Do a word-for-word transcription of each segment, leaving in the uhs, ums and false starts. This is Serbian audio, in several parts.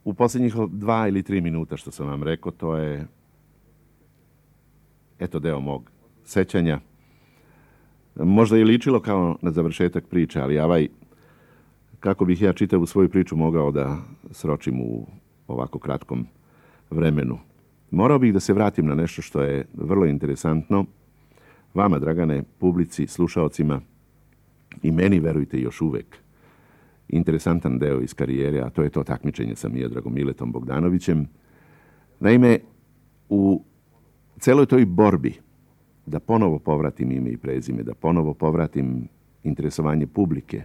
u posljednjih dva ili tri minuta što sam vam rekao, to je eto deo mog sećanja. Možda je ličilo kao na završetak priče, ali ovaj, kako bih ja čitavu svoju priču mogao da sročim u ovako kratkom vremenu. Morao bih da se vratim na nešto što je vrlo interesantno vama, Dragane, publici, slušaocima i meni, verujte, još uvek interesantan deo iz karijere, a to je to takmičenje sa Miodragom Miletom Bogdanovićem. Naime, u celoj toj borbi da ponovo povratim ime i prezime, da ponovo povratim interesovanje publike,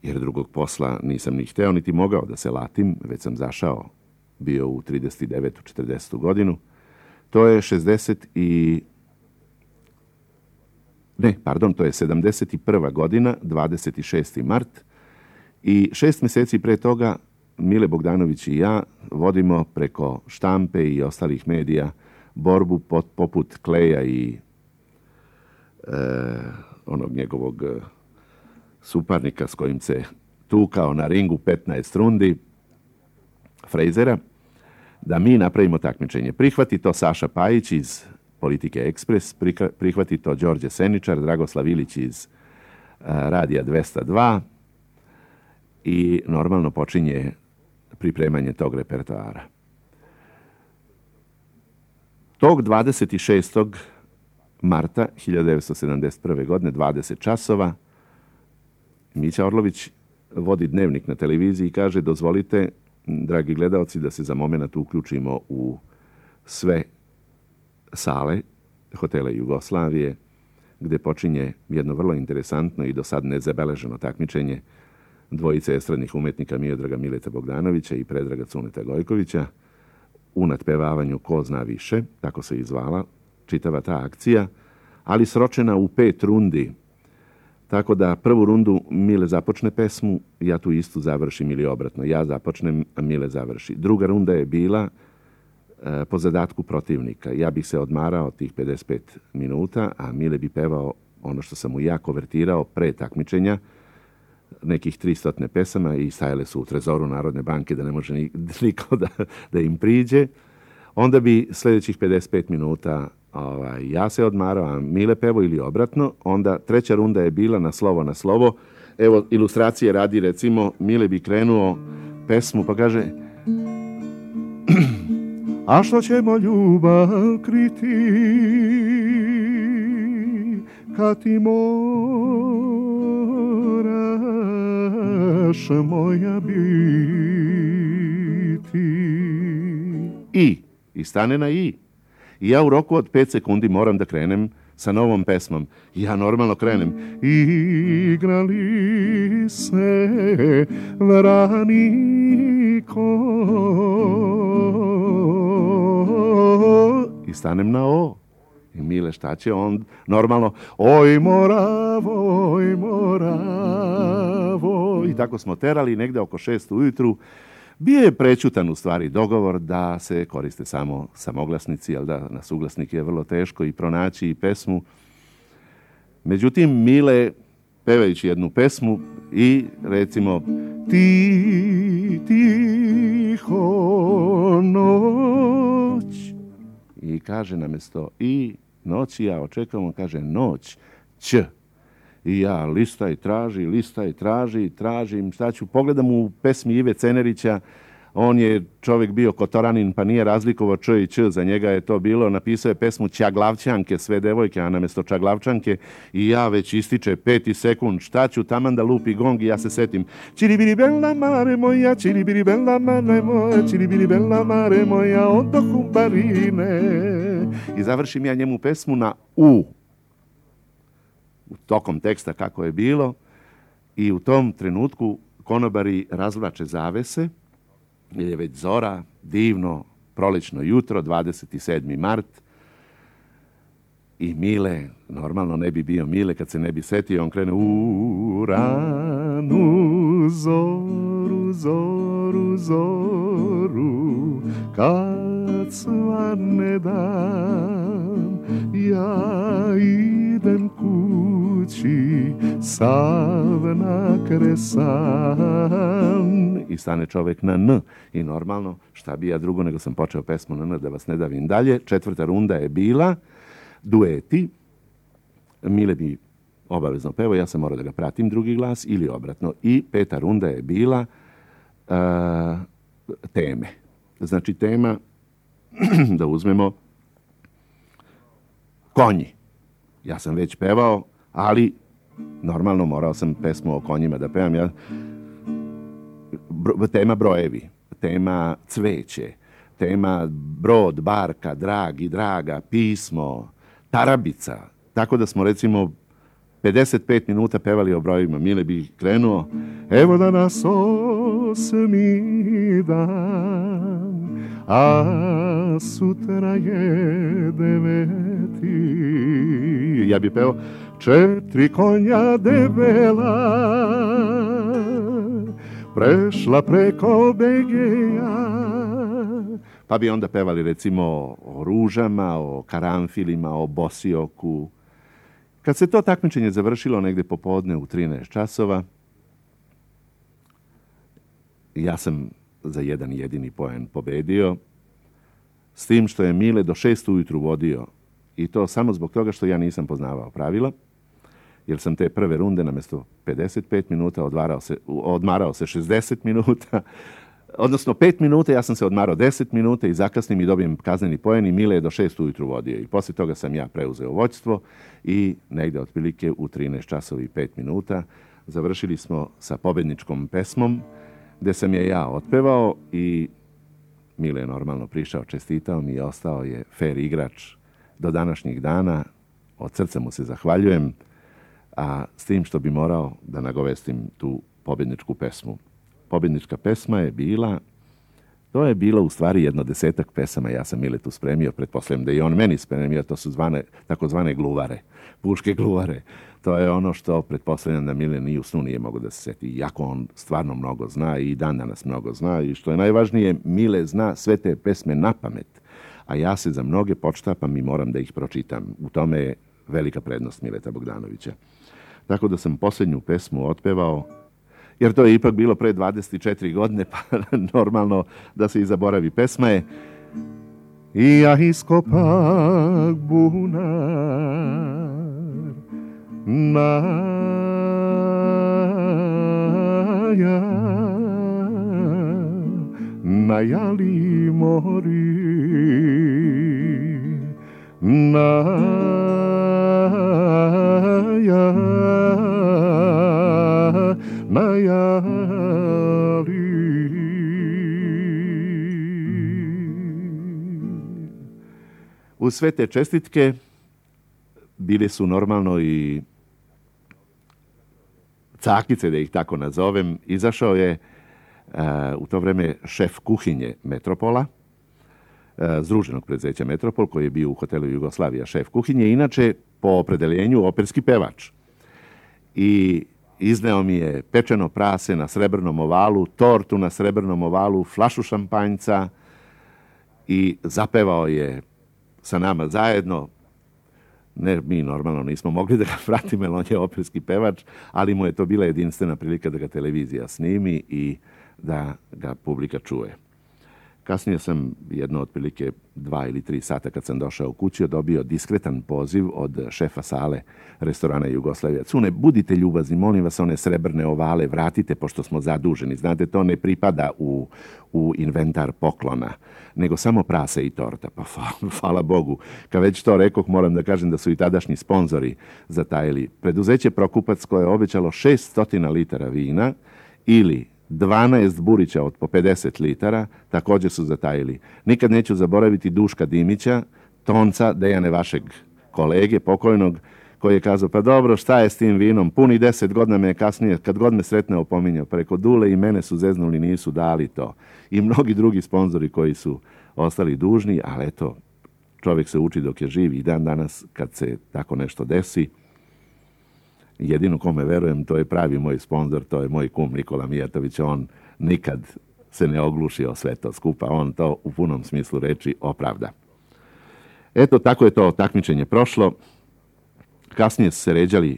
jer drugog posla nisam ni hteo, niti mogao da se latim, već sam zašao, bio u trideset devetu četrdesetu godinu. To je šezdeset i... Ne, pardon, to je sedamdeset prva godina, dvadeset šesti mart, i šest mjeseci pre toga Mile Bogdanović i ja vodimo preko štampe i ostalih medija borbu pot, poput Kleja i e, onog njegovog suparnika s kojim se tukao na ringu petnaest rundi, Frejzera, da mi napravimo takmičenje. Prihvati to Saša Pajić iz Politike Ekspres, prihvati to Đorđe Seničar, Dragoslav Ilić iz a, Radija dvesta dva i normalno počinje pripremanje tog repertoara. Tog dvadeset šestog marta hiljadu devetsto sedamdeset prve godine, dvadeset časova, Mića Orlović vodi dnevnik na televiziji i kaže: dozvolite, dragi gledaoci, da se za moment uključimo u sve sale hotela Jugoslavije, gde počinje jedno vrlo interesantno i do sad nezabeleženo takmičenje dvojice estradnih umetnika Miodraga Mileta Bogdanovića i Predraga Cuneta Gojkovića u natpevavanju Ko zna više, tako se i zvala čitava ta akcija, ali sročena u pet rundi. Tako da prvu rundu Mile započne pesmu, ja tu istu završim ili obratno. Ja započnem, a Mile završi. Druga runda je bila e, po zadatku protivnika. Ja bih se odmarao tih pedeset pet minuta, a Mile bi pevao ono što sam mu ja kovertirao pre takmičenja, nekih tristo pesama, i stajale su u trezoru Narodne banke da ne može niko da, da im priđe. Onda bi sljedećih pedeset pet minuta ovaj, ja se odmarao, a Mile pevo ili obratno. Onda treća runda je bila na slovo na slovo. Evo, ilustracije radi, recimo, Mile bi krenuo pesmu pa kaže: a što ćemo ljubav kriti kad ti moraš moja biti. I, i stane na i. I ja u roku od pet sekundi moram da krenem sa novom pesmom. Ja normalno krenem. Igrali se vraniko. I stanem na o. I Mile, šta će on? Normalno, oj moravo, oj moravo. I tako smo terali negde oko šest ujutru. Bio je prećutan u stvari dogovor da se koriste samo samoglasnici, ali da na suglasnik je vrlo teško i pronaći i pesmu. Međutim, Mile, pevajući jednu pesmu i recimo ti tiho noć, i kaže namjesto i noći, ja očekam, on kaže noć, ć. I ja listaj, traži, listaj, traži, tražim, šta ću, pogledam u pesmi Ive Cenerića, on je čovjek bio kotoranin, pa nije razlikovao č i č, za njega je to bilo, napisao je pesmu Čaglavčanke, sve devojke, a namjesto Čaglavčanke, i ja već ističe peti sekund, šta ću, taman da lupi gong, i ja se setim, čiribiri bella mare moja, čiribiri bella mare moja, čiribiri bella mare moja, odo humbarine. I završim ja njemu pesmu na u. Tokom teksta kako je bilo, i u tom trenutku konobari razvlače zavese, jer je već zora, divno prolećno jutro, dvadeset sedmi mart, i Mile, normalno ne bi bio Mile kad se ne bi setio, on krene u ranu zoru, zoru, zoru, kad svane dan, ja idem kući kući sav nakresan. I stane čovjek na N. I normalno, šta bi ja drugo nego sam počeo pesmu na N, da vas ne davim dalje. Četvrta runda je bila dueti. Mile bi obavezno pevo, ja sam morao da ga pratim drugi glas ili obratno. I peta runda je bila uh, teme. Znači tema, da uzmemo konji. Ja sam već pevao, ali normalno morao sam pesmu o konjima da pevam. Ja, bro, tema brojevi, tema cveće, tema brod, barka, dragi, draga, pismo, tarabica. Tako da smo recimo pedeset pet minuta pevali o brojevima. Mile bi krenuo, evo da nas osmi dan, a sutra je deveti. Ja bi peo, četiri konja debela prešla preko Begeja. Pa bi onda pevali recimo o ružama, o karanfilima, o bosioku. Kad se to takmičenje završilo negdje popodne u trinaest časova, ja sam za jedan jedini poen pobedio, s tim što je Mile do šest ujutru vodio, i to samo zbog toga što ja nisam poznavao pravila, jer sam te prve runde namjesto pedeset pet minuta odmarao se, odmarao se šezdeset minuta, odnosno pet minuta, ja sam se odmarao deset minuta i zakasnim i dobijem kazneni poen i Mile je do šest ujutru vodio. I poslije toga sam ja preuzeo vođstvo i negdje otprilike u trinaest časova i pet minuta završili smo sa pobjedničkom pesmom, gdje sam je ja otpevao i Mile je normalno prišao, čestitao mi i ostao je fair igrač do današnjih dana. Od srca mu se zahvaljujem, a s tim što bi morao da nagovestim tu pobjedničku pesmu. Pobjednička pesma je bila, to je bilo u stvari jedno desetak pesama, ja sam Miletu spremio, pretpostavljam da i on meni spremio, to su zvane, takozvane gluvare, puške gluvare. To je ono što pretpostavljam da Mile ni u snu nije mogo da se seti, iako on stvarno mnogo zna i dan danas mnogo zna, i što je najvažnije, Mile zna sve te pesme na pamet, a ja se za mnoge počtapam i moram da ih pročitam. U tome je velika prednost Mileta Bogdanovića. Tako da sam posljednju pesmu otpevao, jer to je ipak bilo pre dvadeset četiri godine, pa normalno da se i zaboravi. Pesma je I ja iskopak bunar na ja, na jali mori, na ja, na jali. Uz sve te čestitke bili su normalno i cakice, da ih tako nazovem. Izašao je uh, u to vreme šef kuhinje Metropola, uh, združenog preduzeća Metropol, koji je bio u hotelu Jugoslavija šef kuhinje, inače po opredeljenju operski pevač. I izneo mi je pečeno prase na srebrnom ovalu, tortu na srebrnom ovalu, flašu šampanjca i zapevao je sa nama zajedno. Ne, mi normalno nismo mogli da ga pratimo, jer on je operski pevač, ali mu je to bila jedinstvena prilika da ga televizija snimi i da ga publika čuje. Kasnije sam jedno otprilike dva ili tri sata kad sam došao u kući dobio diskretan poziv od šefa sale restorana Jugoslavija. Cune, budite ljubazni, molim vas, one srebrne ovale vratite pošto smo zaduženi. Znate, to ne pripada u, u inventar poklona, nego samo prase i torta. Pa hvala Bogu. Kad već to rekoh, moram da kažem da su i tadašnji sponzori zatajili. Preduzeće Prokupac koje je obećalo šessto litara vina ili dvanaest burića od po pedeset litara, također su zatajili. Nikad neću zaboraviti Duška Dimića, tonca Dejane vašeg kolege pokojnog, koji je kazao, pa dobro, šta je s tim vinom? Puni deset godina me je kasnije, kad god me sretne, opominjao. Preko Dule i mene su zeznuli, nisu dali to. I mnogi drugi sponzori koji su ostali dužni, ali eto, čovjek se uči dok je živ i dan danas kad se tako nešto desi. Jedino kome verujem, to je pravi moj sponzor, to je moj kum Nikola Mijatović. On nikad se ne ogluši o sve to skupa, on to u punom smislu reči opravda. Eto, tako je to takmičenje prošlo. Kasnije su se ređali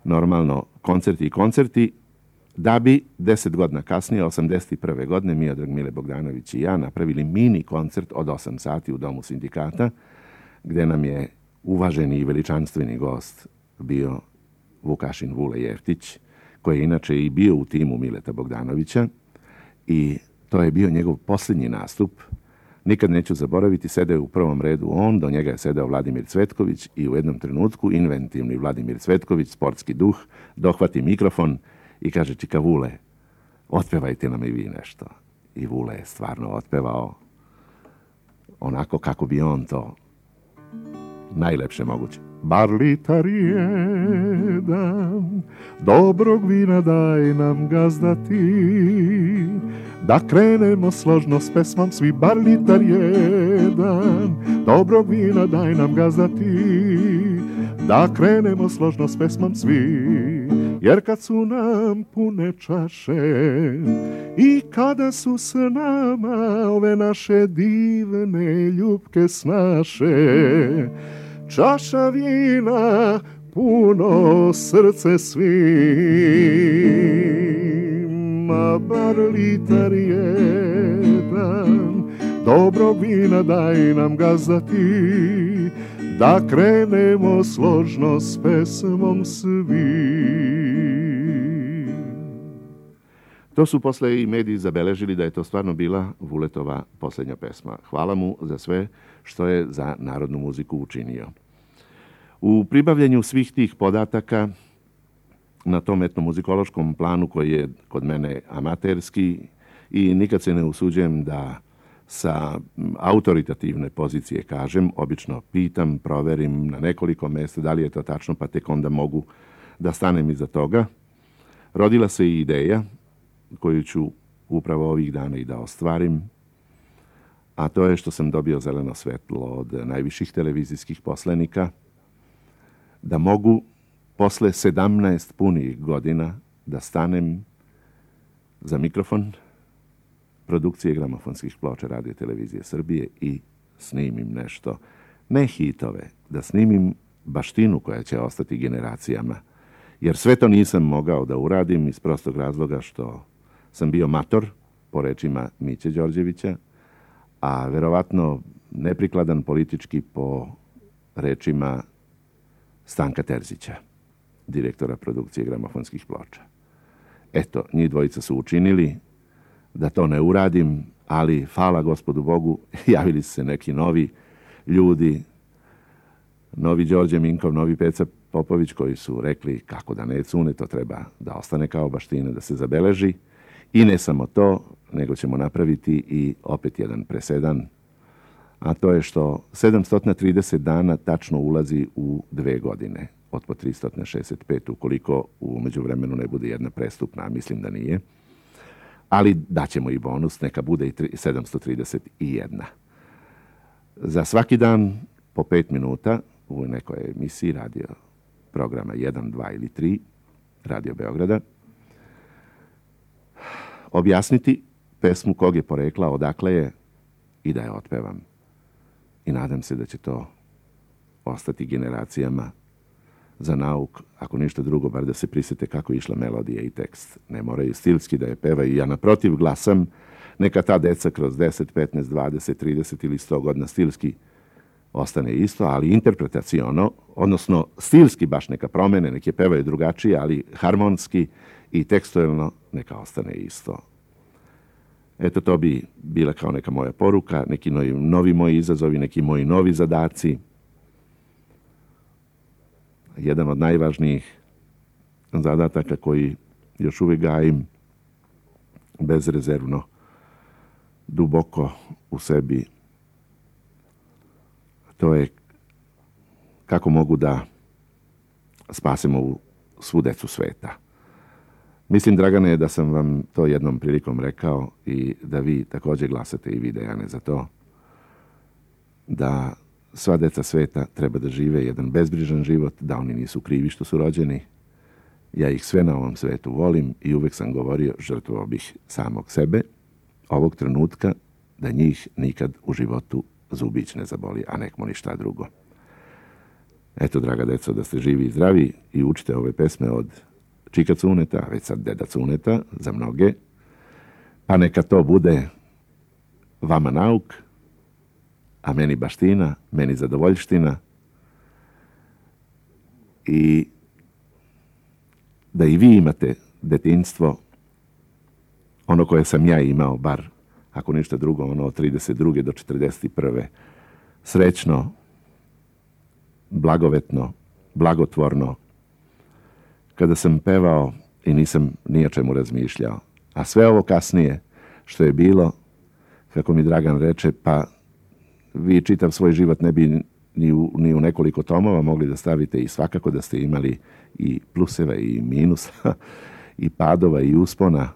normalno koncerti i koncerti, da bi deset godina kasnije, osamdeset prve godine, Miodrag Mile Bogdanović i ja napravili mini koncert od osam sati u Domu sindikata, gde nam je uvaženi i veličanstveni gost bio Vukašin Vule Jeftić, koji je inače i bio u timu Mileta Bogdanovića, i to je bio njegov posljednji nastup. Nikad neću zaboraviti, sedeo je u prvom redu on, do njega je sedeo Vladimir Cvetković i u jednom trenutku inventivni Vladimir Cvetković, sportski duh, dohvati mikrofon i kaže: Čika Vule, otpevajte nam i vi nešto. I Vule je stvarno otpevao onako kako bi on to najlepše moguće. Bar litar jedan dobrog vina daj nam, gazda ti, da krenemo složno s pesmom svi. Bar litar jedan dobrog vina daj nam, gazda ti, da krenemo složno s pesmom svi. Jer kad su nam pune čaše i kada su s nama ove naše divne ljubke snaše, čaša vina puno srce svima. Bar litar jedan dobrog vina daj nam, gazda ti, da krenemo složno s pesmom svi. To su posle i mediji zabeležili da je to stvarno bila Vuletova posljednja pesma. Hvala mu za sve što je za narodnu muziku učinio. U pribavljanju svih tih podataka na tom etnomuzikološkom planu, koji je kod mene amaterski i nikad se ne usuđujem da sa autoritativne pozicije kažem, obično pitam, proverim na nekoliko mjesta da li je to tačno, pa tek onda mogu da stanem iza toga. Rodila se i ideja koju ću upravo ovih dana i da ostvarim, a to je što sam dobio zeleno svetlo od najviših televizijskih poslenika da mogu posle sedamnaest punih godina da stanem za mikrofon produkcije gramofonskih ploča Radio Televizije Srbije i snimim nešto, ne hitove, da snimim baštinu koja će ostati generacijama. Jer sve to nisam mogao da uradim iz prostog razloga što sam bio mator, po rečima Miće Đorđevića, a verovatno neprikladan politički po rečima Stanka Terzića, direktora produkcije gramofonskih ploča. Eto, njih dvojica su učinili da to ne uradim, ali hvala Gospodu Bogu, javili su se neki novi ljudi, novi Đorđe Minkov, novi Peca Popović, koji su rekli kako da ne cune, to treba da ostane kao baština, da se zabeleži. I ne samo to, nego ćemo napraviti i opet jedan presedan, a to je što sedamsto trideset dana tačno ulazi u dve godine, od po tristo šezdeset pet, ukoliko u međuvremenu ne bude jedna prestupna, a mislim da nije. Ali daćemo i bonus, neka bude i sedamsto trideset jedna. Za svaki dan po pet minuta u nekoj emisiji radio programa jedan, dva ili tri Radio Beograda objasniti pesmu kog je porekla, odakle je i da je otpevam. I nadam se da će to ostati generacijama za nauk, ako ništa drugo, bar da se prisete kako je išla melodija i tekst. Ne moraju stilski da je pevaju. Ja naprotiv glasam, neka ta deca kroz deset, petnaest, dvadeset, trideset ili sto godina stilski ostane isto, ali interpretaciono, odnosno stilski baš neka promene, neke pevaju drugačije, ali harmonski i tekstualno neka ostane isto. Eto, to bi bila kao neka moja poruka, neki novi, novi moji izazovi, neki moji novi zadaci. Jedan od najvažnijih zadataka koji još uvijek gajim bezrezervno, duboko u sebi, to je kako mogu da spasemo ovu svu decu sveta. Mislim, Dragane, da sam vam to jednom prilikom rekao i da vi također glasate i vi, Dejane, za to, da sva deca sveta treba da žive jedan bezbrižan život, da oni nisu krivi što su rođeni. Ja ih sve na ovom svetu volim i uvek sam govorio, žrtvovao bih samog sebe, ovog trenutka, da njih nikad u životu zubić ne zaboli, a nek mu ništa drugo. Eto, draga deco, da ste živi i zdravi i učite ove pesme od Čika Cuneta, već sad Deda Cuneta, za mnoge. Pa neka to bude vama nauk, a meni baština, meni zadovoljština. I da i vi imate detinjstvo, ono koje sam ja imao, bar ako ništa drugo, ono od trideset druge do četrdeset prve srećno, blagovetno, blagotvorno, kada sam pevao i nisam ni o čemu razmišljao. A sve ovo kasnije što je bilo, kako mi Dragan reče, pa vi čitav svoj život ne bi ni u, ni u nekoliko tomova mogli da stavite i svakako da ste imali i pluseva i minusa, i padova i uspona.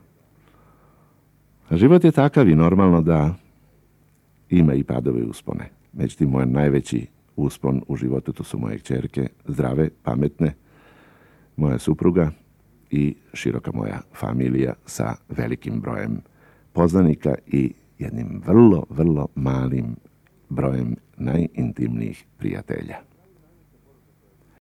A život je takav i normalno da ima i padove i uspone. Međutim, moj najveći uspon u životu to su moje kćerke, zdrave, pametne, moja supruga i široka moja familija sa velikim brojem poznanika i jednim vrlo, vrlo malim brojem najintimnijih prijatelja.